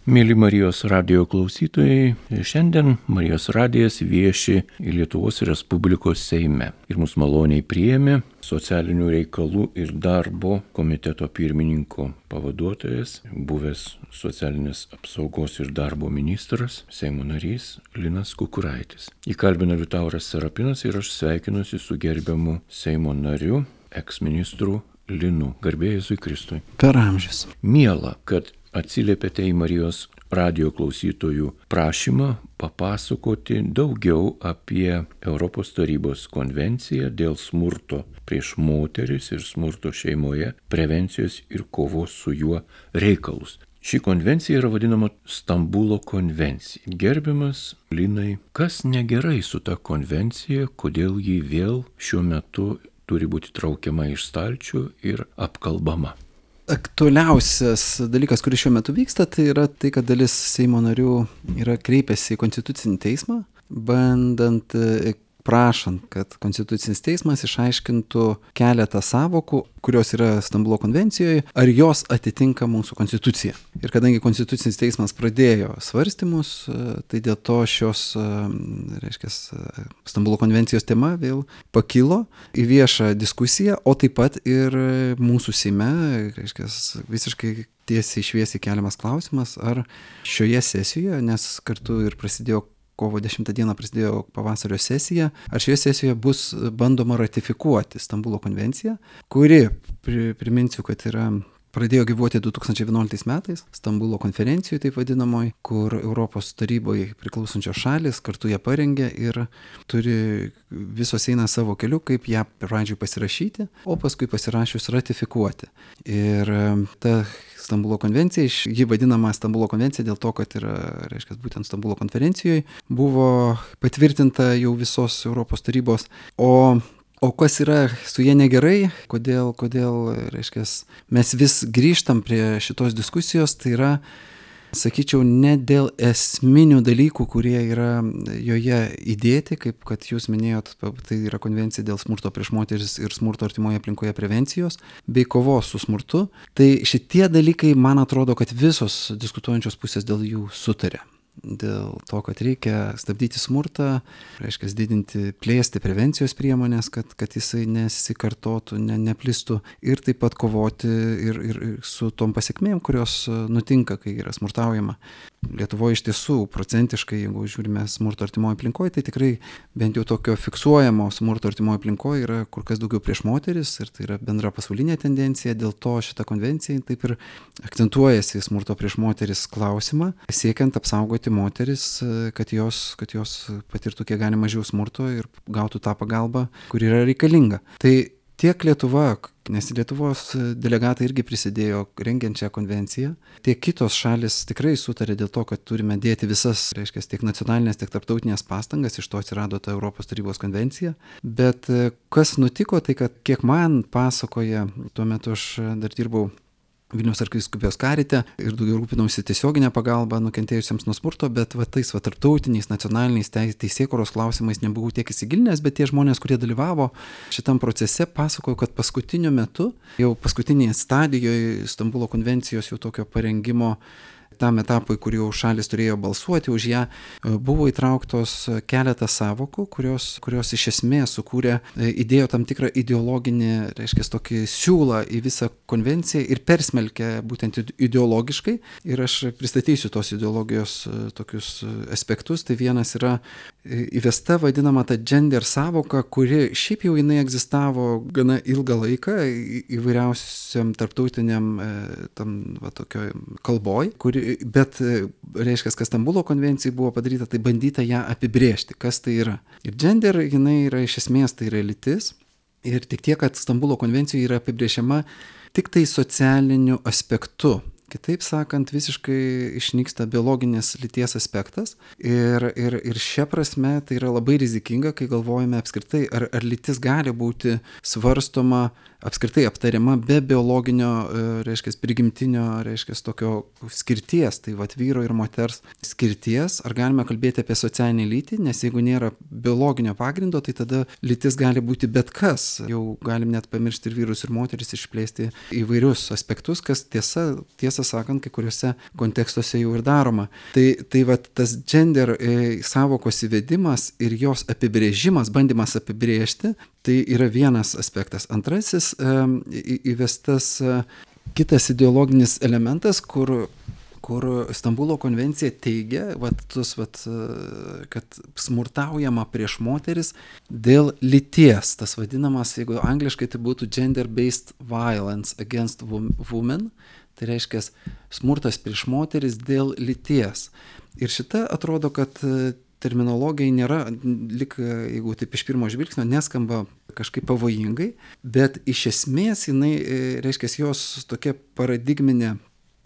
Mėly Marijos radijo klausytojai, šiandien Marijos radijas vieši Lietuvos Respublikos Seime ir mus maloniai priėmė socialinių reikalų ir darbo komiteto pirmininko pavaduotojas, buvęs socialinės apsaugos ir darbo ministras, Seimo narys Linas Kukuraitis. Įkalbino Liutauras Serapinas ir aš sveikinuosi su gerbiamu Seimo nariu, eksministru Linu. Garbė Jėzui Kristui. Per amžius. Miela, kad atsiliepėte į Marijos radijo klausytojų prašymą papasakoti daugiau apie Europos tarybos konvenciją dėl smurto prieš moteris ir smurto šeimoje, prevencijos ir kovos su juo reikalus. Ši konvencija yra vadinama Stambulo konvencija. Gerbiamas Linai, kas negerai su ta konvencija, kodėl ji vėl šiuo metu turi būti traukiama iš stalčių ir apkalbama? Aktualiausias dalykas, kuris šiuo metu vyksta, tai yra tai, kad dalis Seimo narių yra kreipęsi į Konstitucinį teismą, prašant, kad Konstitucinis teismas išaiškintų keletą sąvokų, kurios yra Stambulo konvencijoje, ar jos atitinka mūsų konstituciją. Ir kadangi Konstitucinis teismas pradėjo svarstymus, tai dėl to Stambulo konvencijos tema vėl pakilo į viešą diskusiją, o taip pat ir mūsų Seime, visiškai tiesiai šviesiai keliamas klausimas, ar šioje sesijoje, nes kartu ir prasidėjo kovo 10 dieną prasidėjo pavasario sesija, ar šioje sesijoje bus bandoma ratifikuoti Stambulo konvenciją, kuri, priminsiu, kad pradėjo gyvuoti 2011 metais, Stambulo konferencijoje taip vadinamoji, kur Europos taryboje priklausančios šalis kartu ją parengė ir visos eina savo keliu, kaip ją pradžioj pasirašyti, o paskui pasirašius ratifikuoti. Ir ta Stambulo konvencija, ji vadinama Stambulo konvencija dėl to, kad būtent Stambulo konferencijoje buvo patvirtinta jau visos Europos tarybos, O kas yra su jie negerai, kodėl mes vis grįžtam prie šitos diskusijos, tai yra, sakyčiau, ne dėl esminių dalykų, kurie yra joje įdėti, kaip kad jūs minėjot, tai yra konvencija dėl smurto prieš moteris ir smurto artimoje aplinkoje prevencijos, bei kovos su smurtu. Tai šitie dalykai, man atrodo, kad visos diskutuojančios pusės dėl jų sutarė. Dėl to, kad reikia stabdyti smurtą, plėsti prevencijos priemonės, kad jisai nesikartotų, neplistų ir taip pat kovoti ir su tom pasekmėm, kurios nutinka, kai yra smurtaujama. Lietuvoje iš tiesų procentiškai, jeigu žiūrime smurto artimoje aplinkoje, tai tikrai bent jau tokio fiksuojamo smurto artimoje aplinkoje yra kur kas daugiau prieš moteris ir tai yra bendra pasaulinė tendencija, dėl to šita konvencija taip ir akcentuojasi smurto prieš moteris klausimą, siekiant apsaugoti moteris, kad jos patirtų kiek gali mažiau smurto ir gautų tą pagalbą, kuri yra reikalinga. Tai tiek Lietuva, nes Lietuvos delegatai irgi prisidėjo rengiant šią konvenciją, tiek kitos šalis tikrai sutarė dėl to, kad turime dėti visas, tiek nacionalinės, tiek tarptautinės pastangas, iš to atsirado ta Europos tarybos konvencija. Bet kas nutiko, tai kad kiek man pasakoja, tuo metu aš dar dirbau Vilniaus arkivyskupijos karite ir daugiau rūpinausi tiesioginę pagalbą nukentėjusiems nuo smurto, bet tarptautiniais, nacionaliniais teisėkūros klausimais nebuvau tiek įsigilinęs, bet tie žmonės, kurie dalyvavo šitam procese, pasakojo, kad paskutiniu metu, jau paskutinėje stadijoje Stambulo konvencijos jau tokio parengimo tam etapui, kur jau šalis turėjo balsuoti už ją, buvo įtrauktos keletą sąvokų, kurios iš esmės įdėjo tam tikrą ideologinį, tokį siūlą į visą konvenciją ir persmelkė būtent ideologiškai. Ir aš pristatysiu tos ideologijos tokius aspektus. Tai vienas yra įvesta vadinama ta gender sąvoka, kuri šiaip jau jinai egzistavo gana ilgą laiką įvairiausiam tarptautiniam tokioj kalboj, bet kad Stambulo konvencijai buvo padaryta, tai bandyta ją apibrėžti, kas tai yra. Ir gender, jinai yra iš esmės, tai yra lytis. Ir tik tiek, kad Stambulo konvencijoje yra apibrėžiama tik tai socialiniu aspektu. Kitaip sakant, visiškai išnyksta biologinės lyties aspektas ir šia prasme tai yra labai rizikinga, kai galvojame apskritai, ar lytis gali būti svarstoma apskritai aptariama be biologinio, prigimtinio, tokio skirties, tai vyro ir moters skirties, ar galime kalbėti apie socialinį lytį, nes jeigu nėra biologinio pagrindo, tai tada lytis gali būti bet kas. Jau galim net pamiršti ir vyrus, ir moteris, išplėsti įvairius aspektus, kas tiesą tiesą sakant, kai kuriuose kontekstuose jau ir daroma. Tai vat tas gender sąvokos įvedimas ir jos apibrėžimas, bandymas apibrėžti, tai yra vienas aspektas. Antrasis įvestas kitas ideologinis elementas, kur Stambulo konvencija teigia, kad smurtaujama prieš moteris dėl lyties. Tas vadinamas, jeigu angliškai tai būtų gender-based violence against women, tai reiškia smurtas prieš moteris dėl lyties. Ir šita atrodo, kad terminologija nėra, jeigu taip iš pirmo žvilgsnio, neskamba kažkaip pavojingai, bet iš esmės jinai, reiškia, jos tokia paradigminė,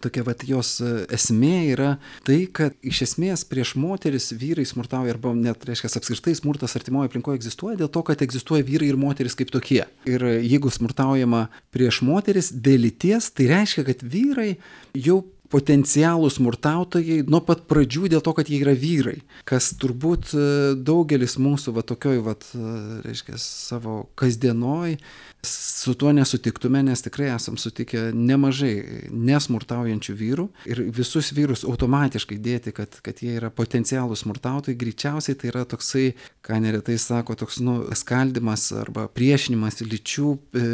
tokia jos esmė yra tai, kad iš esmės prieš moteris vyrai smurtauja, arba net, reiškia, apskritai smurtas artimoje aplinkoje egzistuoja dėl to, kad egzistuoja vyrai ir moteris kaip tokie. Ir jeigu smurtaujama prieš moteris dėl lyties, tai reiškia, kad vyrai jau potencialūs smurtautojai nuo pat pradžių dėl to, kad jie yra vyrai, kas turbūt daugelis mūsų tokioj, reiškia, savo kasdienoj su tuo nesutiktume, nes tikrai esam sutikę nemažai nesmurtaujančių vyrų ir visus vyrus automatiškai dėti, kad jie yra potencialūs smurtautojai, greičiausiai tai yra toksai, ką neretai sako, toks skaldimas arba priešinimas lyčių,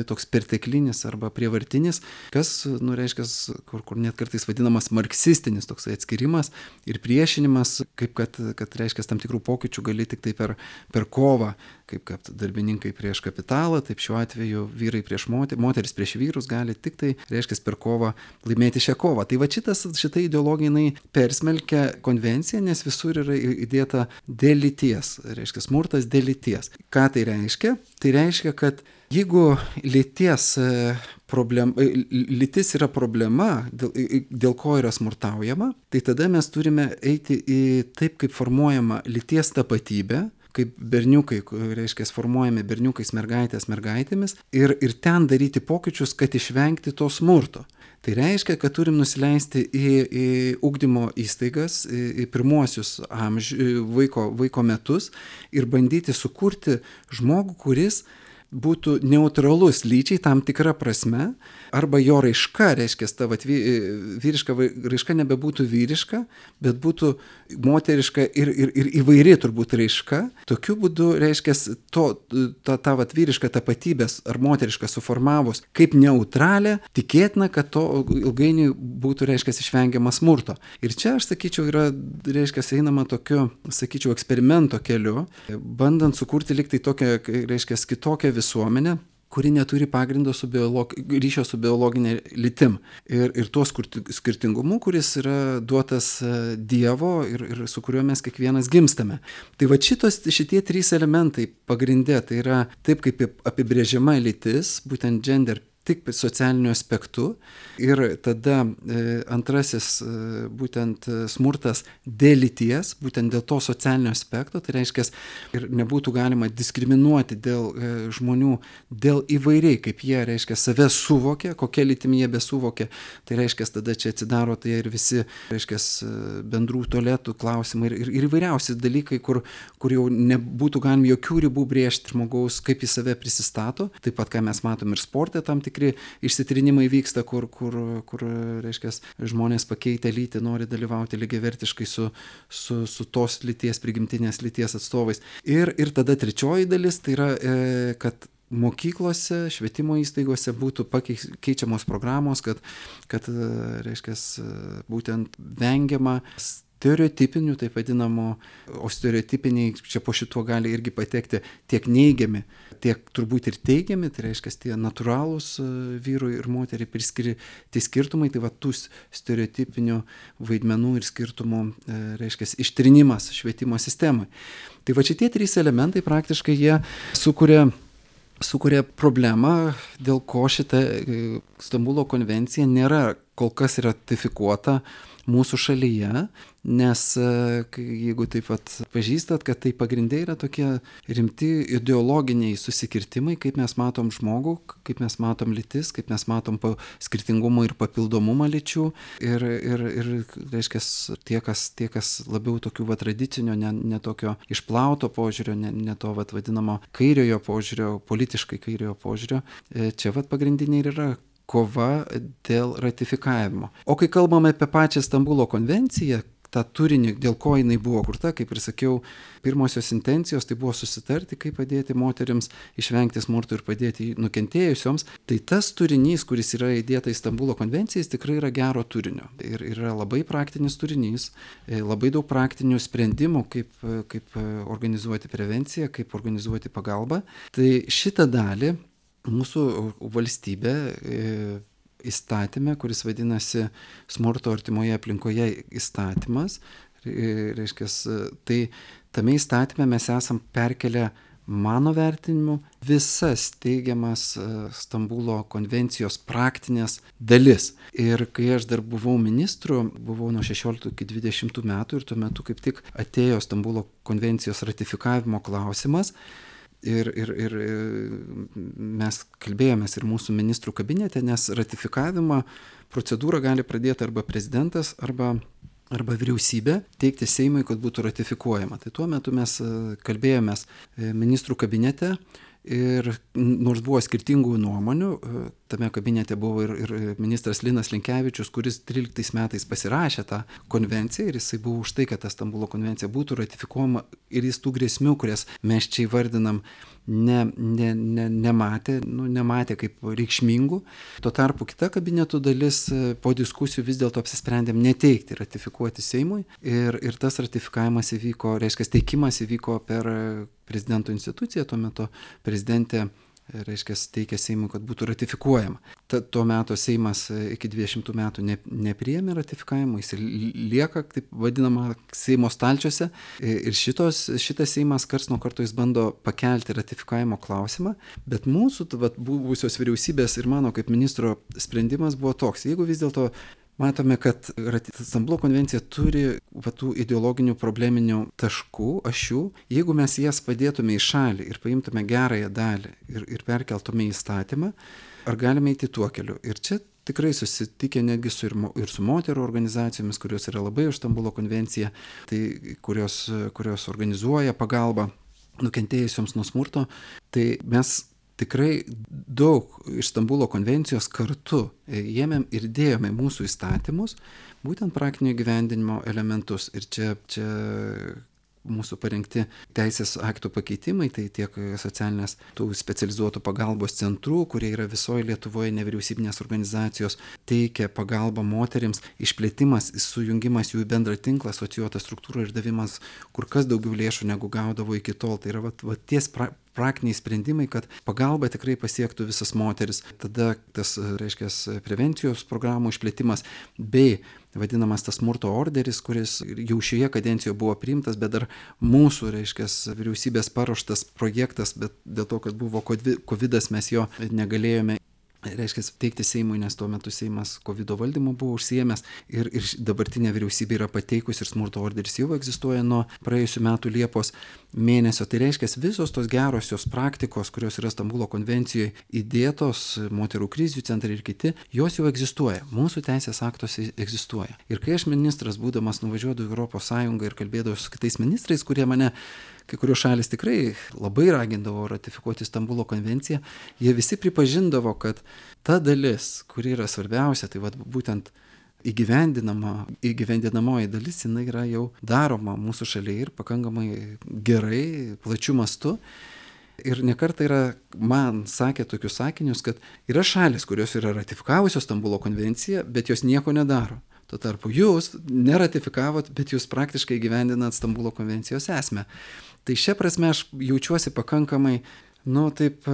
toks perteklinis arba prievartinis, kas, reiškia, kur net kartais vadinamas marksistinis toksai atskirimas ir priešinimas, kaip kad reiškia, tam tikrų pokyčių gali tik tai per kovą, kaip kad darbininkai prieš kapitalą, taip šiuo atveju vyrai prieš moteris prieš vyrus gali tik tai, reiškia, per kovą laimėti šią kovą. Tai šita ideologija jinai persmelkia konvenciją, nes visur yra įdėta dėl lyties, reiškia, smurtas dėl lyties. Ką tai reiškia? Tai reiškia, kad jeigu lytis yra problema, dėl ko yra smurtaujama, tai tada mes turime eiti į taip, kaip formuojama lyties tapatybė, kaip berniukai, reiškia, formuojami berniukais, mergaitėmis ir ten daryti pokyčius, kad išvengti to smurto. Tai reiškia, kad turim nusileisti į ugdymo įstaigas, į pirmuosius vaiko metus ir bandyti sukurti žmogų, kuris būtų neutralus lyčiai tam tikra prasme, arba jo raiška, reiškia, ta vyriška raiška nebebūtų vyriška, bet būtų moteriška ir įvairi turbūt raiška. Tokiu būdu, reiškia, ta vyriška tapatybės ar moteriška suformavus kaip neutralė, tikėtina, kad to ilgainiui būtų, reiškia, išvengiama smurto. Ir čia, aš sakyčiau, yra, reiškia, einama tokiu, sakyčiau, eksperimento keliu, bandant sukurti liktai tokią, reiškia, kitokią visuomenę, kuri neturi pagrindo ryšio su biologinė lytim. Ir tuo skirtingumu, kuris yra duotas Dievo ir su kuriuo mes kiekvienas gimstame. Tai šitie trys elementai pagrindė, tai yra taip, kaip apibrėžiama lytis, būtent gender, tik socialiniu aspektu. Ir tada antrasis būtent smurtas dėl lyties, būtent dėl to socialinio aspekto, tai reiškia, ir nebūtų galima diskriminuoti dėl žmonių, dėl įvairiai, kaip jie, reiškia, save suvokia, kokia lytimi jie besuvokia. Tai reiškia, tada čia atsidaro tai ir visi, reiškia, bendrų tualetų klausimai ir įvairiausi dalykai, kur jau nebūtų galima jokių ribų brėžti žmogaus, kaip jis save prisistato. Taip pat, ką mes matom ir sporte, tam tikri išsitrinimai vyksta, kur reiškia, žmonės pakeitę lytį nori dalyvauti lygiavertiškai su tos lyties, prigimtinės lyties atstovais. Ir tada trečioji dalis, tai yra, kad mokyklose, švietimo įstaigose būtų keičiamos programos, kad reiškia, būtent vengiama stereotipinių, taip vadinamo, o stereotipiniai čia po šituo gali irgi patekti tiek neigiami, tiek turbūt ir teigiami, tai reiškia, tie natūralūs vyrui ir moteriai priskirti skirtumai, tai tų stereotipinių vaidmenų ir skirtumų, reiškia, ištrinimas švietimo sistemai. Tai šitie trys elementai praktiškai jie sukuria problemą, dėl ko šita Stambulo konvencija nėra kol kas ratifikuota mūsų šalyje, nes jeigu taip pat pažįstat, kad tai pagrindai yra tokie rimti ideologiniai susikirtimai, kaip mes matom žmogų, kaip mes matom lytis, kaip mes matom skirtingumą ir papildomumą lyčių ir reiškia, tie, kas labiau tokių tradicinio, ne tokio išplauto požiūrio, ne to vadinamo kairiojo požiūrio, politiškai kairiojo požiūrio, čia pagrindiniai ir yra kova dėl ratifikavimo. O kai kalbame apie pačią Stambulo konvenciją, tą turinį, dėl ko jinai buvo kurta, kaip ir sakiau, pirmosios intencijos tai buvo susitarti, kaip padėti moteriams išvengti smurto ir padėti nukentėjusioms. Tai tas turinys, kuris yra įdėta į Stambulo konvenciją, jis tikrai yra gero turinio. Ir yra labai praktinis turinys, labai daug praktinių sprendimų, kaip organizuoti prevenciją, kaip organizuoti pagalbą. Tai šitą dalį mūsų valstybė įstatyme, kuris vadinasi smurto artimoje aplinkoje įstatymas, reiškia, tai tame įstatyme mes esam perkelę, mano vertinimu, visas teigiamas Stambulo konvencijos praktinės dalis. Ir kai aš dar buvau ministru, buvau nuo 16 iki 20 metų ir tuo metu kaip tik atėjo Stambulo konvencijos ratifikavimo klausimas. Ir mes kalbėjomės ir mūsų ministrų kabinete, nes ratifikavimo procedūrą gali pradėti arba prezidentas, arba vyriausybė teikti Seimui, kad būtų ratifikuojama. Tai tuo metu mes kalbėjomės ministrų kabinete ir nors buvo skirtingų nuomonių, tame kabinete buvo ir ministras Linas Linkevičius, kuris 13 metais pasirašė tą konvenciją ir jisai buvo už tai, kad ta Stambulo konvencija būtų ratifikuojama ir jis tų grėsmių, kurias mes čia įvardinam, nematė kaip reikšmingų. Tuo tarpu kita kabinetų dalis po diskusijų vis dėlto apsisprendėm neteikti, ratifikuoti Seimui ir tas ratifikavimas įvyko, reiškia, teikimas įvyko per prezidento instituciją, tuo metu prezidentė, reiškia, teikė Seimui, kad būtų ratifikuojama. Tuo metu Seimas iki 20 metų nepriėmė ratifikavimo, jis lieka, taip vadinama, Seimo stalčiuose ir šitas Seimas karts nuo karto jis bando pakelti ratifikavimo klausimą, bet mūsų buvusios vyriausybės ir mano kaip ministro sprendimas buvo toks, jeigu vis dėlto matome, kad Stambulo konvencija turi tų ideologinių probleminių taškų, ašių. Jeigu mes jas padėtume į šalį ir paimtume gerąją dalį ir perkeltume į įstatymą, ar galime eiti tuo keliu? Ir čia tikrai susitikę netgi ir su moterų organizacijomis, kurios yra labai už Stambulo konvenciją, tai kurios organizuoja pagalbą nukentėjusioms nuo smurto, tai mes tikrai daug iš Stambulo konvencijos kartu ėmėm ir dėjome mūsų įstatymus, būtent praktinio įgyvendinimo elementus. Ir čia mūsų parengti teisės aktų pakeitimai, tai tiek socialinės tų specializuotų pagalbos centrų, kurie yra visoje Lietuvoje, nevyriausybinės organizacijos, teikia pagalbą moterims, išplėtimas, sujungimas jų į bendrą tinklą, asocijuotą struktūrą ir davimas kur kas daugiau lėšų negu gaudavo iki tol. Tai yra ties praktiniai sprendimai, kad pagalba tikrai pasiektų visas moteris. Tada tas, reiškia, prevencijos programų išplėtimas bei vadinamas tas smurto orderis, kuris jau šioje kadencijoje buvo priimtas, bet dar mūsų, reiškia, vyriausybės paruoštas projektas, bet dėl to, kad buvo kovidas, mes jo negalėjome, reiškia, teikti Seimui, nes tuo metu Seimas kovido valdymu buvo užsiėmęs ir dabartinė vyriausybė yra pateikusi ir smurto orderis jau egzistuoja nuo praėjusių metų Liepos mėnesio. Tai reiškia, visos tos gerosios praktikos, kurios yra Stambulo konvencijoje įdėtos, moterų krizių centrai ir kiti, jos jau egzistuoja. Mūsų teisės aktuose egzistuoja. Ir kai aš ministras, būdamas, nuvažiuodavau į Europos Sąjungą ir kalbėdavau su kitais ministrais, kurie mane, kai kurios šalis tikrai labai ragindavo ratifikuoti Stambulo konvenciją, jie visi pripažindavo, kad ta dalis, kuri yra svarbiausia, tai būtent įgyvendinamoji dalis, jinai yra jau daroma mūsų šalyje ir pakankamai gerai, plačiu mastu. Ir nekartą yra, man sakė tokius sakinius, kad yra šalis, kurios yra ratifikavusios Stambulo konvenciją, bet jos nieko nedaro. Tuo tarpu jūs neratifikavot, bet jūs praktiškai įgyvendinat Stambulo konvencijos esmę. Tai šia prasme aš jaučiuosi pakankamai, taip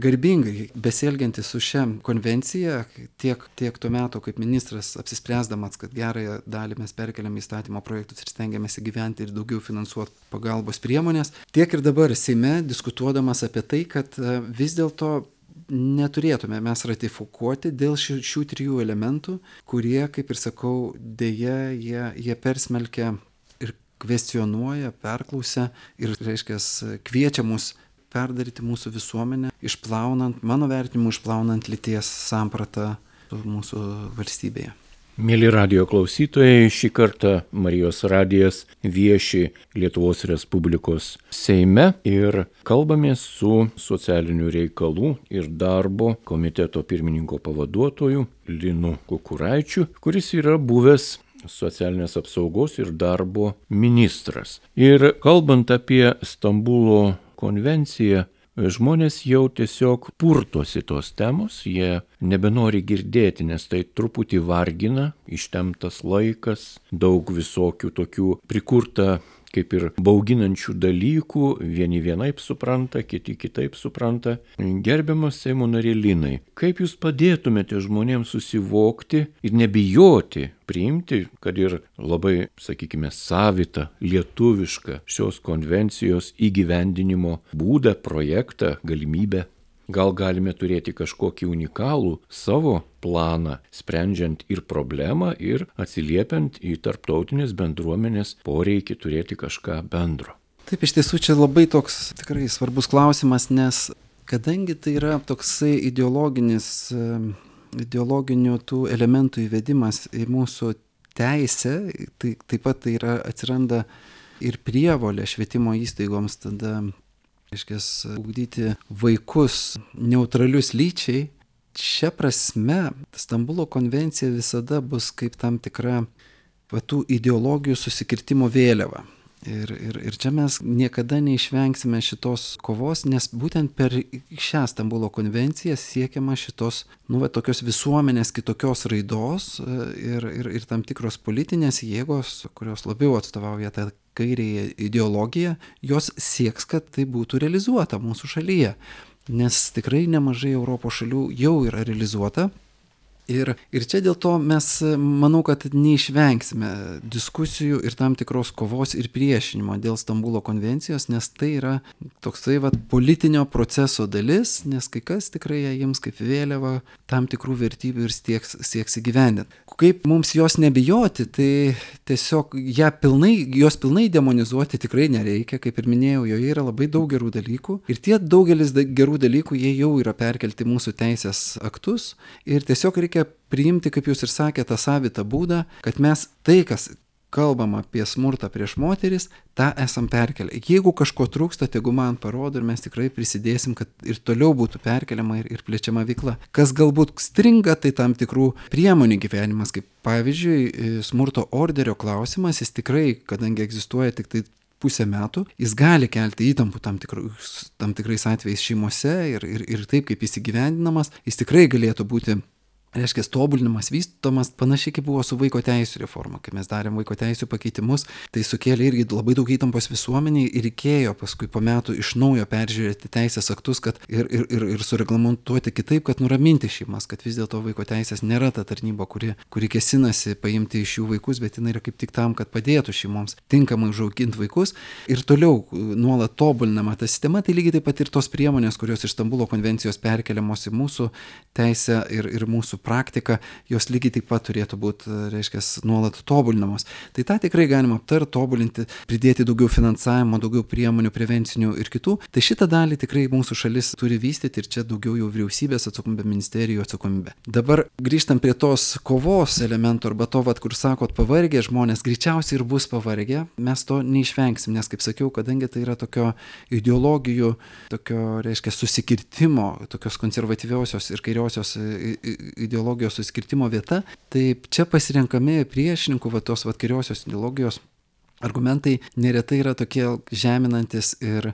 garbingai besielgiantis su šia konvencija, tiek tuo metu kaip ministras apsispręsdamas, kad gerąją dalį mes perkeliam įstatymo projektus ir stengiamės įgyventi ir daugiau finansuoti pagalbos priemonės, tiek ir dabar Seime diskutuodamas apie tai, kad vis dėlto neturėtume mes ratifikuoti dėl šių trijų elementų, kurie, kaip ir sakau, dėja, jie persmelkia ir kvestionuoja, perklausia ir, reiškia, kviečia mus perdaryti mūsų visuomenę, išplaunant, mano vertinimu, išplaunant lyties sampratą mūsų valstybėje. Mėly radijo klausytojai, šį kartą Marijos radijas vieši Lietuvos Respublikos Seime ir kalbamės su socialinių reikalų ir darbo komiteto pirmininko pavaduotoju Linu Kukuraičiu, kuris yra buvęs socialinės apsaugos ir darbo ministras. Ir kalbant apie Stambulo konvenciją, žmonės jau tiesiog purtosi tos temos, jie nebenori girdėti, nes tai truputį vargina, ištemptas laikas, daug visokių tokių prikurta kaip ir bauginančių dalykų, vieni vienaip supranta, kiti kitaip supranta. Gerbiamas Seimo narė Linai, kaip jūs padėtumėte žmonėms susivokti ir nebijoti priimti, kad ir labai, sakykime, savitą, lietuvišką šios konvencijos įgyvendinimo būdą, projektą, galimybę? Gal galime turėti kažkokį unikalų savo planą, sprendžiant ir problemą, ir atsiliepiant į tarptautinės bendruomenės poreikį turėti kažką bendro? Taip, iš tiesų čia labai toks tikrai svarbus klausimas, nes kadangi tai yra toksai ideologinių tų elementų įvedimas į mūsų teisę, tai taip pat tai yra atsiranda ir prievolė švietimo įstaigoms tada ugdyti vaikus neutralius lyčiai. Šia prasme, Stambulo konvencija visada bus kaip tam tikra tų ideologijų susikirtimo vėliava. Ir čia mes niekada neišvengsime šitos kovos, nes būtent per šią Stambulo konvenciją siekiama šitos, tokios visuomenės kitokios raidos ir tam tikros politinės jėgos, kurios labiau atstovauja tą kairėje ideologiją, jos sieks, kad tai būtų realizuota mūsų šalyje. Nes tikrai nemažai Europos šalių jau yra realizuota. Ir čia dėl to mes, manau, kad neišvengsime diskusijų ir tam tikros kovos ir priešinimo dėl Stambulo konvencijos, nes tai yra toksai politinio proceso dalis, nes kai kas tikrai ją jiems kaip vėliava tam tikrų vertybių ir sieks įgyvendinti. Kaip mums jos nebijoti, tai tiesiog jos pilnai demonizuoti tikrai nereikia, kaip ir minėjau, joje yra labai daug gerų dalykų ir tie daugelis gerų dalykų jie jau yra perkelti mūsų teisės aktus ir tiesiog reikia priimti, kaip jūs ir sakėte, tą savitą būdą, kad mes tai, kas kalbam apie smurtą prieš moteris, tą esam perkelę. Jeigu kažko trūksta, tegu man parodo ir mes tikrai prisidėsim, kad ir toliau būtų perkeliama ir plečiama veikla. Kas galbūt stringa, tai tam tikrų priemonių gyvenimas, kaip pavyzdžiui, smurto orderio klausimas, jis tikrai, kadangi egzistuoja tik tai pusę metų, jis gali kelti įtampų tam tikrais atvejais šeimose ir taip, kaip jis įgyvendinamas, jis tikrai galėtų būti tobulinimas, vystomas, panašiai kaip buvo su vaiko teisų reforma. Kai mes darėm vaiko teisų pakeitimus, tai sukėlė irgi labai daug įtampos visuomeniai ir reikėjo paskui po metų iš naujo peržiūrėti teisės aktus, kad ir sureglamentuoti kitaip, kad nuraminti šeimas, kad vis dėlto vaiko teisės nėra ta tarnyba, kuri kėsinasi paimti iš jų vaikus, bet jinai yra kaip tik tam, kad padėtų šeimoms tinkamai užauginti vaikus ir toliau nuolat tobulinama ta sistema. Tai lygiai taip pat ir tos priemonės, kurios iš Stambulo konvencijos perkeliamos į mūsų teisę ir mūsų praktika, jos lygiai taip pat turėtų būti, nuolat tobulinamos. Tai tą tikrai galima aptarti, tobulinti, pridėti daugiau finansavimo, daugiau priemonių, prevencinių ir kitų. Tai šitą dalį tikrai mūsų šalis turi vystyti ir čia daugiau jau vyriausybės atsakomybė, ministerijų atsakomybė. Dabar grįžtam prie tos kovos elementų arba to, kur sakot, pavargę žmonės, greičiausiai ir bus pavargę, mes to neišvengsim, nes, kaip sakiau, kadangi tai yra tokio ideologijų, susikirtimo, tokios konservatyviosios ir kairiosios ideologijos suskirtimo vieta, tai čia pasirenkami priešininkų tos kairiosios ideologijos argumentai neretai yra tokie žeminantis ir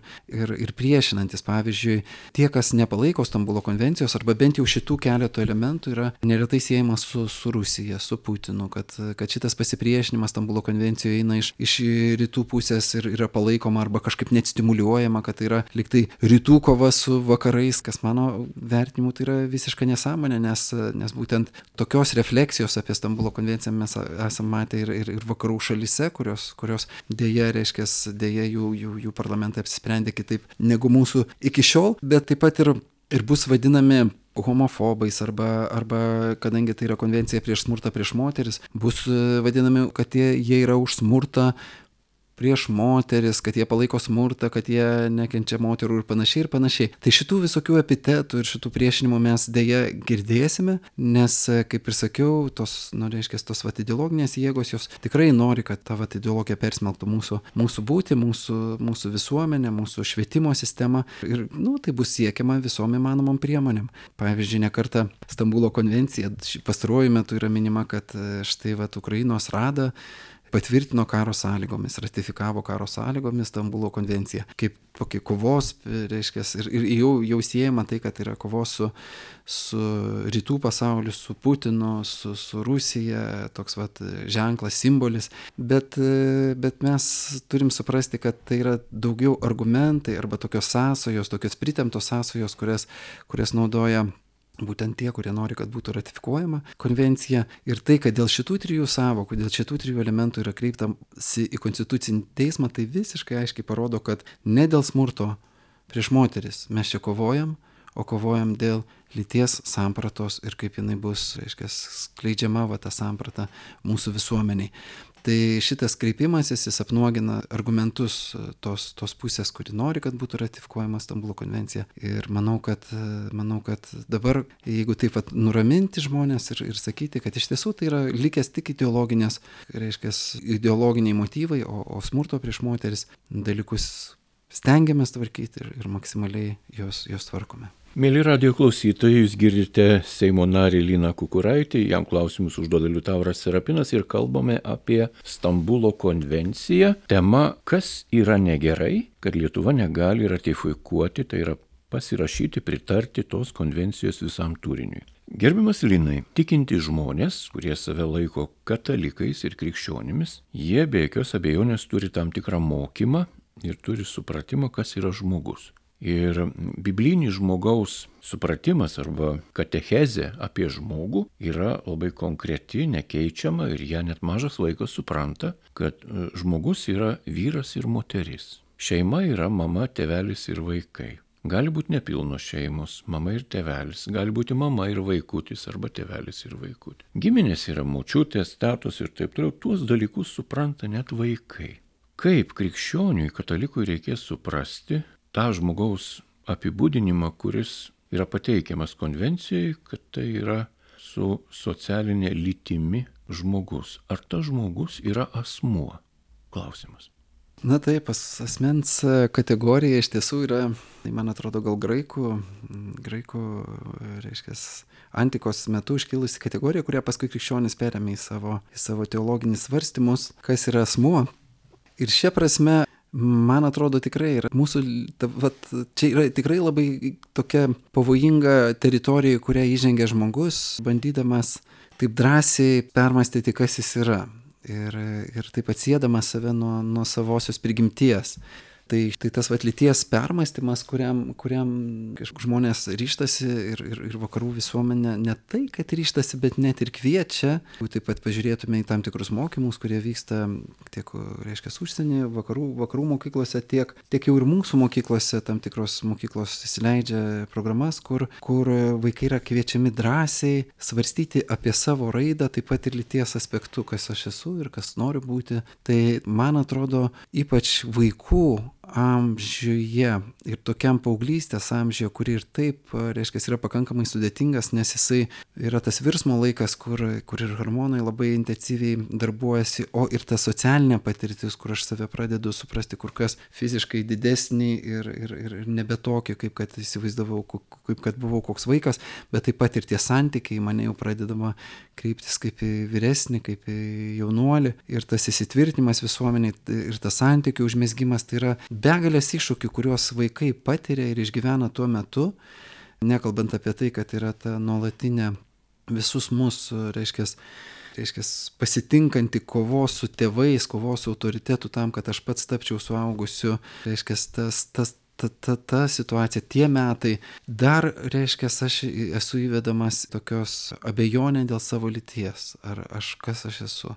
priešinantis. Pavyzdžiui, tie, kas nepalaiko Stambulo konvencijos, arba bent jau šitų keletų elementų yra neretai siejamas su Rusija, su Putinu, kad šitas pasipriešinimas Stambulo konvencijoje eina iš rytų pusės ir yra palaikoma arba kažkaip net stimuliuojama, kad tai yra liktai rytų kova su vakarais, kas mano vertinimu tai yra visiška nesąmonė, nes būtent tokios refleksijos apie Stambulo konvenciją mes esame matę ir vakarų šalyse, kurios dėja jų parlamentai apsisprendė kitaip negu mūsų iki šiol, bet taip pat ir bus vadinami homofobais arba kadangi tai yra konvencija prieš smurtą prieš moteris, bus vadinami, kad jie yra už smurtą prieš moteris, kad jie palaiko smurtą, kad jie nekenčia moterų ir panašiai ir panašiai. Tai šitų visokių epitetų ir šitų priešinimų mes dėja girdėsime, nes, kaip ir sakiau, tos ideologinės jėgos, jos tikrai nori, kad ta ideologija persmelktų mūsų būtį, mūsų visuomenę, mūsų švietimo sistemą ir, tai bus siekiama visom įmanomom priemonėm. Pavyzdžiui, ne kartą Stambulo konvencija pastaruoju metu yra minima, kad štai Ukrainos Rada patvirtino karo sąlygomis, ratifikavo karo sąlygomis Stambulo konvenciją, kaip tokį kovos, reiškia, ir jau siejama tai, kad yra kovos su rytų pasauliu, su Putinu, su Rusija, toks ženklas, simbolis, bet mes turim suprasti, kad tai yra daugiau argumentai arba tokios sąsajos, tokios pritemptos sąsajos, kurias naudoja būtent tie, kurie nori, kad būtų ratifikuojama konvencija. Ir tai, kad dėl šitų trijų sąvokų, dėl šitų trijų elementų yra kreiptasi į Konstitucinį teismą, tai visiškai aiškiai parodo, kad ne dėl smurto prieš moteris mes čia kovojam, o kovojam dėl lyties sampratos ir kaip jinai bus, reiškia, skleidžiama ta samprata mūsų visuomeniai. Tai šitas kreipimasis, jis apnuogina argumentus tos pusės, kuri nori, kad būtų ratifikuojama Stambulo konvencija. Ir manau, kad dabar, jeigu taip nuraminti žmonės ir sakyti, kad iš tiesų tai yra likęs tik ideologiniai motyvai, o smurto prieš moteris dalykus stengiamės tvarkyti ir maksimaliai jos tvarkome. Mėly radijo klausytojai, jūs girdite Seimo narį Liną Kukuraitį, jam klausimus užduoda Liutauras Serapinas ir kalbame apie Stambulo konvenciją. Tema, kas yra negerai, kad Lietuva negali ratifikuoti, tai yra pasirašyti, pritarti tos konvencijos visam turiniui. Gerbiamas Linai, tikinti žmonės, kurie save laiko katalikais ir krikščionimis, jie be jokios abejonės turi tam tikrą mokymą ir turi supratimą, kas yra žmogus. Ir biblinis žmogaus supratimas arba katechezė apie žmogų yra labai konkreti, nekeičiama ir ją net mažas vaikas supranta, kad žmogus yra vyras ir moteris. Šeima yra mama, tėvelis ir vaikai. Gali būti nepilnos šeimos, mama ir tėvelis, gali būti mama ir vaikutis arba tėvelis ir vaikutis. Giminės yra močiutės, tetos ir taip toliau, tuos dalykus supranta net vaikai. Kaip krikščioniui, katalikui reikės suprasti tą žmogaus apibūdinimą, kuris yra pateikiamas konvencijai, kad tai yra su socialinė lytimi žmogus. Ar tas žmogus yra asmuo? Klausimas. Na taip, asmens kategorija iš tiesų yra, man atrodo, gal graikų, reiškia, antikos metu iškilusi kategorija, kurią paskui krikščionis perėmė į savo teologinis svarstymus, kas yra asmuo. Ir šia prasme, man atrodo, tikrai yra čia yra tikrai labai tokia pavojinga teritorija, į kurią įžengia žmogus, bandydamas taip drąsiai permastyti, kas jis yra ir taip atsiedamas save nuo savosios prigimties. Tai tas lyties permąstymas, kuriam žmonės ryžtasi ir vakarų visuomenė ne tai, kad ryžtasi, bet net ir kviečia. Taip pat pažiūrėtume į tam tikrus mokymus, kurie vyksta tiek, reiškia, užsienyje, vakarų mokyklose, tiek jau ir mūsų mokyklose, tam tikros mokyklos įsileidžia programas, kur vaikai yra kviečiami drąsiai svarstyti apie savo raidą, taip pat ir lyties aspektu, kas aš esu ir kas noriu būti. Tai man atrodo, ypač vaikų amžiuje ir tokiam paauglystės amžiuje, kuri ir taip, reiškia, yra pakankamai sudėtingas, nes jisai yra tas virsmo laikas, kur ir hormonai labai intensyviai darbuojasi, o ir ta socialinė patirtis, kur aš save pradedu suprasti kur kas fiziškai didesnį ir nebe tokį, kaip kad įsivaizdavau, kaip kad buvau koks vaikas, bet taip pat ir tie santykiai mane jau pradedama kreiptis kaip į vyresnį, kaip į jaunuolį, ir tas įsitvirtinimas visuomeniai ir tas santykių užmezgimas, tai yra begalės iššūkių, kuriuos vaikai patiria ir išgyvena tuo metu, nekalbant apie tai, kad yra ta nuolatinė visus mus, reiškia, pasitinkanti kovos su tėvais, kovos su autoritetu tam, kad aš pats tapčiau suaugusiu, reiškia, ta situacija, tie metai, dar, reiškia, aš esu įvedamas tokios abejonė dėl savo lyties, ar kas aš esu.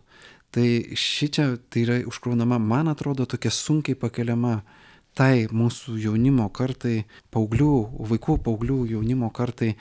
Tai šičia tai yra užkraunama, man atrodo, tokia sunkiai pakeliama tai mūsų jaunimo kartai, vaikų, paauglių jaunimo kartai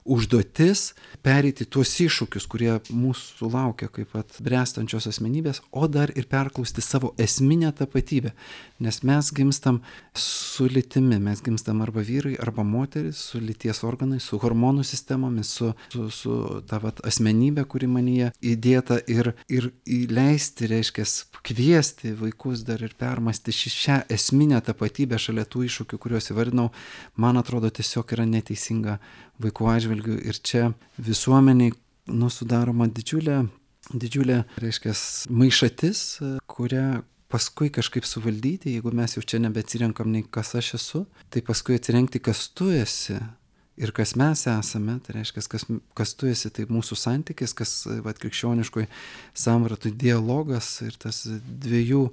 užduotis pereiti tuos iššūkius, kurie mūsų laukia kaip bręstančios asmenybės, o dar ir perklausti savo esminę tapatybę. Nes mes gimstam su lytimi, mes gimstam arba vyrai, arba moteris, su lyties organais, su hormonų sistemomis, su ta asmenybė, kuri manyje įdėta ir įleisti, reiškia, kviesti vaikus dar ir permąstyti šią esminę tapatybę šalia tų iššūkių, kuriuos įvardinau, man atrodo tiesiog yra neteisinga vaikų atžvilgių ir čia visuomeniai sudaroma didžiulė, reiškia, maišatis, kurią paskui kažkaip suvaldyti, jeigu mes jau čia nebeatsirenkam nei kas aš esu, tai paskui atsirenkti, kas tu esi ir kas mes esame, tai reiškia, kas tu esi, tai mūsų santykis, kas krikščioniškoj sampratai dialogas ir tas dviejų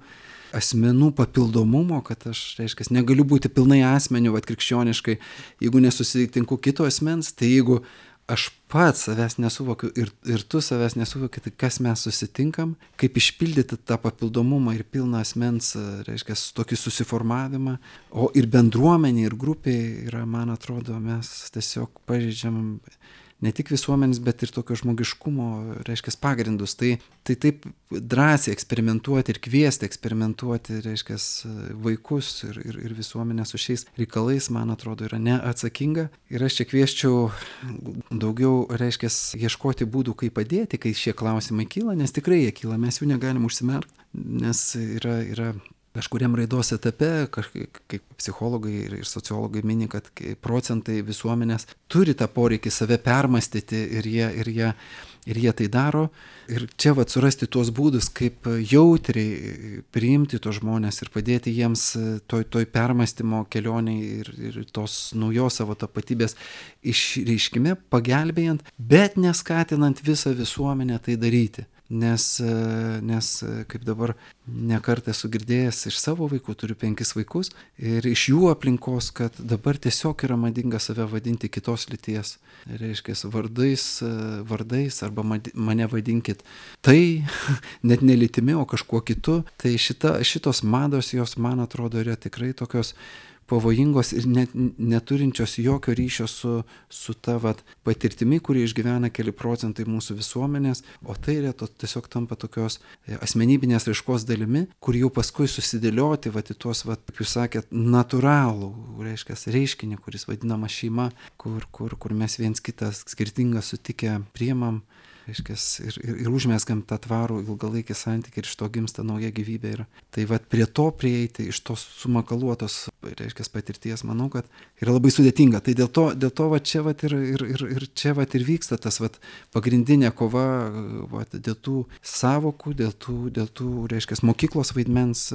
asmenų papildomumo, kad aš, reiškia, negaliu būti pilnai asmeniu, krikščioniškai, jeigu nesusitinku kito asmens, tai jeigu aš pats savęs nesuvokiu ir tu savęs nesuvoki, tai kas mes susitinkam, kaip išpildyti tą papildomumą ir pilną asmens, reiškia, tokį susiformavimą, o ir bendruomenė, ir grupė yra, man atrodo, mes tiesiog pažeidžiam ne tik visuomenės, bet ir tokio žmogiškumo, reiškia, pagrindus. Tai taip drąsiai eksperimentuoti ir kviesti eksperimentuoti, reiškia, vaikus ir visuomenę su šiais reikalais, man atrodo, yra neatsakinga. Ir aš čia kvieščiau daugiau, reiškia, ieškoti būdų, kaip padėti, kai šie klausimai kyla, nes tikrai jie kyla, mes jų negalim užsimerkti, nes yra kažkuriam raidos etape, kaip psichologai ir sociologai mini, kad procentai visuomenės turi tą poreikį save permastyti ir jie tai daro. Ir čia surasti tuos būdus, kaip jautriai priimti tos žmonės ir padėti jiems toj permastymo kelioniai ir tos naujos savo tapatybės išreiškime, pagelbėjant, bet neskatinant visą visuomenę tai daryti. Nes kaip dabar nekart esu girdėjęs iš savo vaikų, turiu 5 vaikus, ir iš jų aplinkos, kad dabar tiesiog yra madinga save vadinti kitos lyties, reiškia, vardais, arba mane vadinkit tai, net ne lytimi, o kažkuo kitu. Tai šitos mados, jos, man atrodo, yra tikrai tokios pavojingos ir net neturinčios jokio ryšio su ta patirtimi, kurį išgyvena keli procentai mūsų visuomenės, o tai tiesiog tampa tokios asmenybinės raiškos dalimi, kur jau paskui susidėlioti į tuos, kaip jūs sakėt, natūralų, reiškia, reiškinį, kuris vadinama šeima, kur mes viens kitą skirtingą sutikę priimam, reiškia, ir užmeskam tą tvarų ilgalaikį santykį ir iš to gimsta nauja gyvybė. Ir tai prie to prieiti, iš tos sumakaluotos, reiškia, patirties, manau, kad yra labai sudėtinga. Tai dėl to čia ir čia ir vyksta tas pagrindinė kova dėl tų savokų, dėl tų, reiškia, mokyklos vaidmens,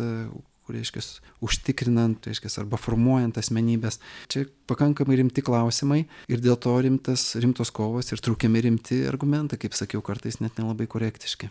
reiškia, užtikrinant, reiškia, arba formuojant asmenybės. Čia pakankamai rimti klausimai ir dėl to rimtos kovos ir trūkiami rimti argumentai, kaip sakiau, kartais net nelabai korektiški.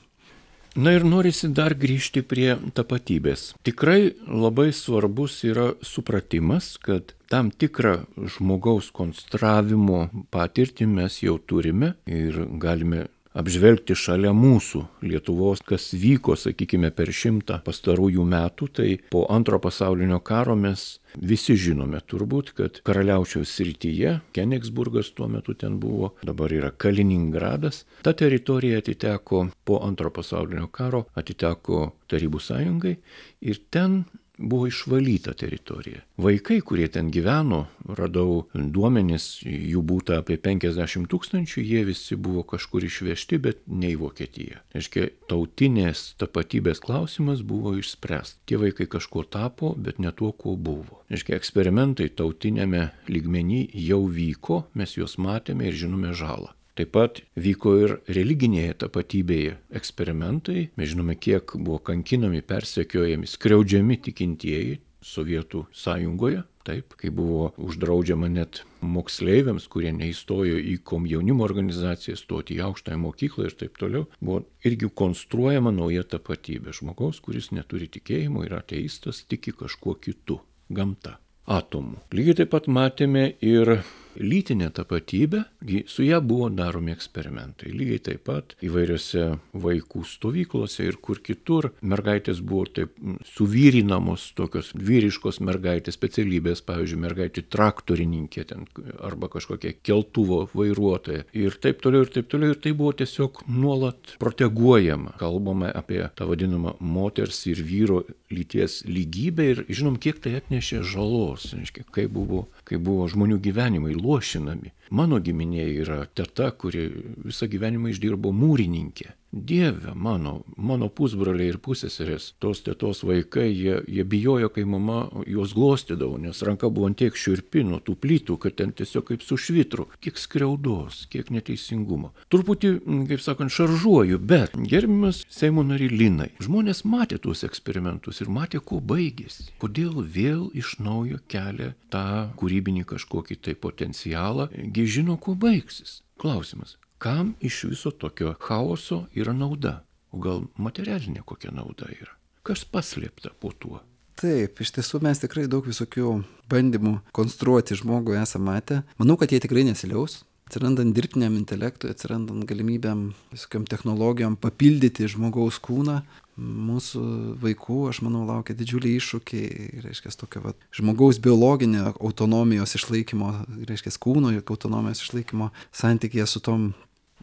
Na ir norisi dar grįžti prie tapatybės. Tikrai labai svarbus yra supratimas, kad tam tikrą žmogaus konstravimo patirtį mes jau turime ir galime apžvelgti šalia mūsų Lietuvos, kas vyko, sakykime, per 100 pastarųjų metų, tai po Antro pasaulinio karo mes visi žinome turbūt, kad Karaliaučiaus srityje, Kenigsburgas tuo metu ten buvo, dabar yra Kaliningradas, ta teritorija atiteko po Antro pasaulinio karo, atiteko Tarybų Sąjungai ir ten buvo išvalyta teritorija. Vaikai, kurie ten gyveno, radau duomenis, jų būta apie 50 000, jie visi buvo kažkur išvežti, bet ne į Vokietiją. Reiškia, tautinės tapatybės klausimas buvo išspręstas. Tie vaikai kažkuo tapo, bet ne tuo, kuo buvo. Reiškia, eksperimentai tautinėme lygmenį jau vyko, mes juos matėme ir žinome žalą. Taip pat vyko ir religinėje tapatybėje eksperimentai. Mes žinome, kiek buvo kankinami, persekiojami, skriaudžiami tikintieji Sovietų sąjungoje. Taip, kai buvo uždraudžiama net moksleiviams, kurie neįstojo į komjaunimo organizaciją, stoti į aukštąją mokyklą ir taip toliau, buvo irgi konstruojama nauja tapatybė. Žmogaus, kuris neturi tikėjimo, yra ateistas, tiki kažkuo kitu. Gamta. Atomų. Lygiai taip pat matėme ir lytinę tapatybę, su ją buvo daromi eksperimentai. Lygiai taip pat įvairiose vaikų stovyklose ir kur kitur mergaitės buvo taip suvyrinamos, tokios vyriškos mergaitės specialybės, pavyzdžiui, mergaitė traktorininkė ten, arba kažkokia keltuvo vairuotoja ir taip toliau, ir taip toliau. Ir tai buvo tiesiog nuolat proteguojama. Kalbame apie tą vadinamą moters ir vyro lyties lygybę ir žinom, kiek tai atnešė žalos, kaip buvo žmonių gyvenimai luošinami. Mano giminėje yra teta, kuri visą gyvenimą išdirbo mūrininkė. Dieve, mano pusbroliai ir pusseserės, tos tetos vaikai, jie bijojo, kai mama juos glostydavo, nes ranka buvo ant tiek šiurpi nuo tų plytų, kad ten tiesiog kaip su švitru. Kiek skriaudos, kiek neteisingumo. Truputį, kaip sakant, šaržuoju, bet gerbiamas Seimo nary Linai, žmonės matė tuos eksperimentus ir matė, kuo baigėsi. Kodėl vėl iš naujo kelia tą kūrybinį kažkokį tai potencialą, gi žino, kuo baigsis. Klausimas. Kam iš viso tokio chaoso yra nauda? O gal materialinė kokia nauda yra? Kas paslėpta po tuo? Taip, iš tiesų mes tikrai daug visokių bandymų konstruoti žmogų esame matę. Manau, kad jie tikrai nesiliaus. Atsirandant dirbtiniam intelektui, atsirandant galimybėm visokiam technologijom papildyti žmogaus kūną, mūsų vaikų, aš manau, laukia didžiuliai iššūkiai, reiškia, tokio žmogaus biologinio autonomijos išlaikymo, reiškia, kūno autonomijos išlaikymo santykėje su tom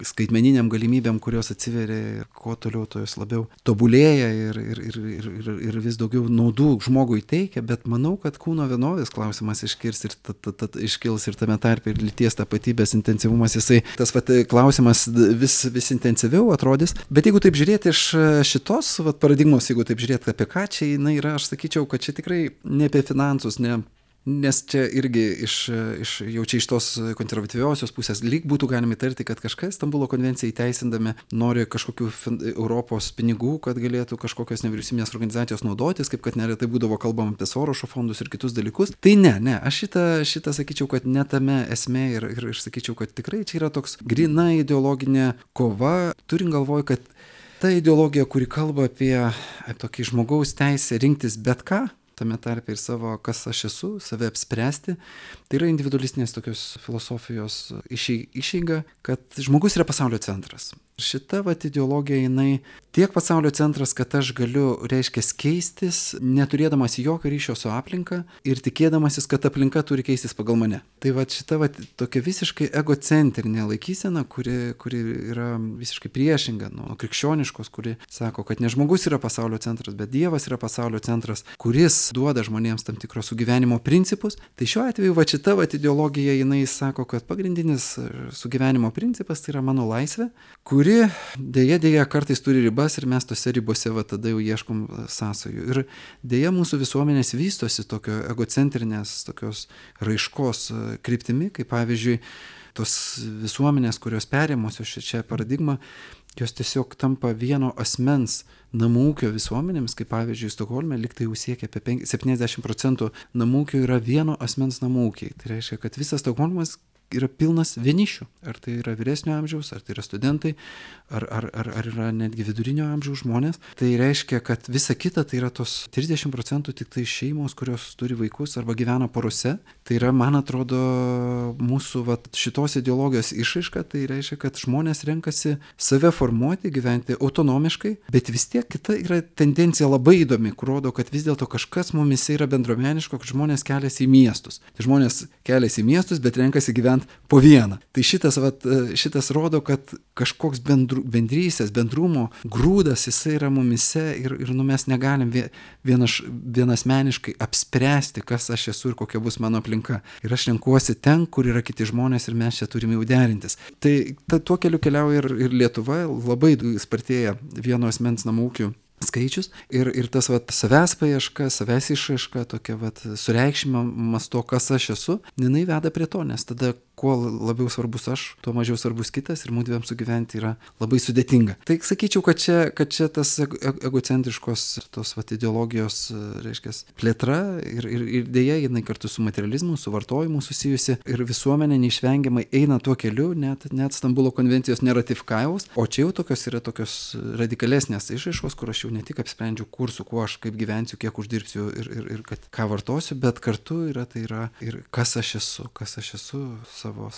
skaitmeniniam galimybėm, kurios atsiveria ir kuo toliau, to jos labiau tobulėja ir vis daugiau naudų žmogui teikia, bet manau, kad kūno vienovės klausimas iškils ir tame tarpe ir lyties tapatybės intensyvumas, tas klausimas vis intensyviau atrodys. Bet jeigu taip žiūrėti iš šitos paradigmos, jeigu taip žiūrėti apie ką čia jinai yra, aš sakyčiau, kad čia tikrai ne apie finansus, nes čia irgi jau čia iš tos konservatyviosios pusės lyg būtų galima įtarti, kad kažkas Stambulo konvenciją įteisindami nori kažkokių Europos pinigų, kad galėtų kažkokios nevyriausybinės organizacijos naudotis, kaip kad neretai būdavo kalbama apie Sorošo fondus ir kitus dalykus. Tai ne, aš šitą sakyčiau, kad ne tame esmė ir sakyčiau, kad tikrai čia yra toks gryna ideologinė kova, turint galvoj, kad ta ideologija, kuri kalba apie tokį žmogaus teisę rinktis bet ką, tame tarpe ir savo, kas aš esu, save apspręsti, tai yra individualistinės tokios filosofijos išeiga, kad žmogus yra pasaulio centras. Šita ideologija, jinai tiek pasaulio centras, kad aš galiu, reiškia, keistis, neturėdamas jokio ryšio su aplinka ir tikėdamasis, kad aplinka turi keistis pagal mane. Tai šita tokia visiškai egocentrinė laikysena, kuri yra visiškai priešinga nuo krikščioniškos, kuri sako, kad ne žmogus yra pasaulio centras, bet Dievas yra pasaulio centras, kuris duoda žmonėms tam tikros sugyvenimo principus. Tai šiuo atveju šita ideologija, jinai sako, kad pagrindinis sugyvenimo principas tai yra mano laisvė, kuri dėja kartais turi ribas ir mes tose ribose tada jau ieškom sąsajų. Ir dėja mūsų visuomenės vystosi tokio egocentrinės, tokios raiškos kryptimi, kaip pavyzdžiui, tos visuomenės, kurios perėmusios šią paradigmą, jos tiesiog tampa vieno asmens namų ūkio visuomenėms, kaip pavyzdžiui, Stokholme liktai jau siekia apie 70% namų ūkio yra vieno asmens namų ūkiai. Tai reiškia, kad visas Stokholmas yra pilnas vienišių. Ar tai yra vyresnio amžiaus, ar tai yra studentai, ar yra netgi vidurinio amžiaus žmonės. Tai reiškia, kad visa kita tai yra tos 30% tik tai šeimos, kurios turi vaikus arba gyvena porose. Tai yra, man atrodo, mūsų šitos ideologijos išraiška. Tai reiškia, kad žmonės renkasi save formuoti, gyventi autonomiškai, bet vis tiek kita yra tendencija labai įdomi, kur rodo, kad vis dėlto kažkas mumise yra bendruomeniško, kad žmonės keliasi į miestus. Tai žmonės keliasi į miestus, bet renkasi gyventi po vieną. Tai šitas rodo, kad kažkoks bendrystės, bendrumo grūdas jisai yra mumise ir mes negalim vienasmeniškai apspręsti, kas aš esu ir kokia bus mano aplinka. Ir aš renkuosi ten, kur yra kiti žmonės ir mes čia turime jau derintis. Tai tuo keliu keliauja ir Lietuva, labai spartėja vieno asmens namų ūkių skaičius ir tas savęs paieška, savęs išraiška, tokia sureikšminimas to, kas aš esu, jinai veda prie to, nes tada kuo labiau svarbus aš, tuo mažiau svarbus kitas ir mūdviem sugyventi yra labai sudėtinga. Tai sakyčiau, kad čia tas egocentriškos tos ideologijos, reiškia, plėtra ir dėja jinai kartu su materializmu, su vartojimu susijusi ir visuomenė neišvengiamai eina tuo keliu, net Stambulo konvencijos neratifikavus, o čia jau yra tokios radikalesnės išraiškos, kur aš jau ne tik apsprendžiu kur, su kuo aš kaip gyvensiu, kiek uždirbsiu ir kad ką vartosiu, bet kartu tai yra ir kas aš esu savo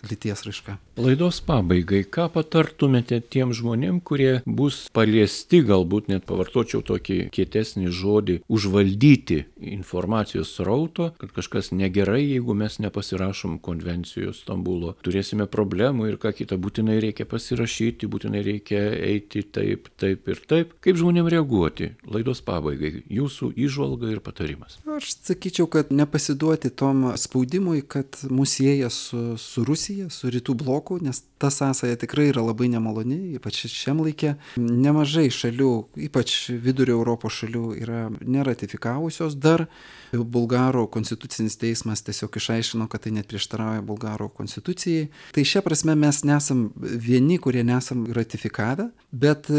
lyties raiška. Laidos pabaigai, ką patartumėte tiem žmonėm, kurie bus paliesti, galbūt net pavartočiau tokį kietesnį žodį, užvaldyti informacijos srauto, kad kažkas negerai, jeigu mes nepasirašom konvencijos Stambulo, turėsime problemų ir ką kita, būtinai reikia pasirašyti, būtinai reikia eiti taip ir taip. Kaip žmonėm reaguoti? Laidos pabaigai, jūsų įžvalga ir patarimas. Aš sakyčiau, kad nepasiduoti tom spaudimui, kad mus sieja su Rusija, su rytų bloku, nes ta sąsaja tikrai yra labai nemaloni, ypač šiam laikė. Nemažai šalių, ypač vidurio Europos šalių, yra neratifikavusios dar. Bulgarų konstitucinis teismas tiesiog išaiškino, kad tai net prieštarauja Bulgarų konstitucijai. Tai šia prasme mes nesam vieni, kurie nesam ratifikavę, bet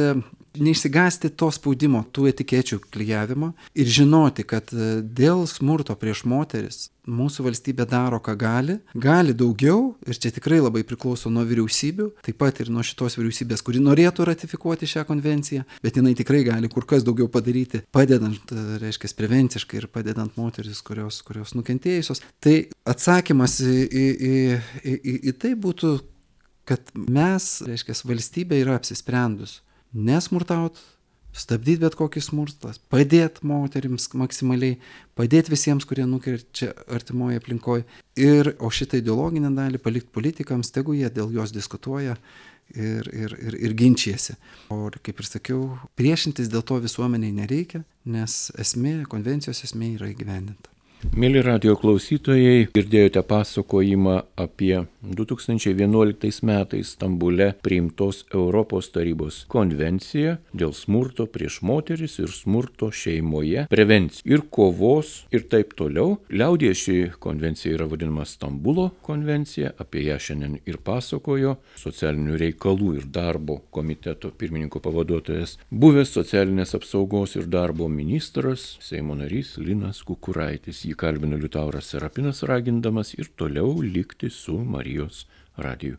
neišsigąsti to spaudimo, tų etikečių klijavimo ir žinoti, kad dėl smurto prieš moteris mūsų valstybė daro, ką gali daugiau ir čia tikrai labai priklauso nuo vyriausybių, taip pat ir nuo šitos vyriausybės, kuri norėtų ratifikuoti šią konvenciją, bet jinai tikrai gali kur kas daugiau padaryti, padedant, reiškia, prevenciškai ir padedant moteris, kurios nukentėjusios. Tai atsakymas į tai būtų, kad mes, reiškia, valstybė yra apsisprendus nesmurtaut, stabdyti bet kokį smurtą, padėti moterims maksimaliai, padėti visiems, kurie nukenčia artimoje aplinkoje. O šitą ideologinę dalį palikti politikams, tegu jie dėl jos diskutuoja ir ginčijasi. O kaip ir sakiau, priešintis dėl to visuomeniai nereikia, nes konvencijos esmė yra įgyvendinta. Mėly radijo klausytojai, girdėjote pasakojimą apie 2011 metais Stambule priimtos Europos tarybos konvenciją dėl smurto prieš moteris ir smurto šeimoje, prevencijos ir kovos ir taip toliau. Liaudyje ši konvencija yra vadinama Stambulo konvencija, apie ją šiandien ir pasakojo socialinių reikalų ir darbo komiteto pirmininko pavaduotojas, buvęs socialinės apsaugos ir darbo ministras, Seimo narys Linas Kukuraitis. Jį kalbino Liutauras Serapinas, ragindamas ir toliau likti su Marijos radiju.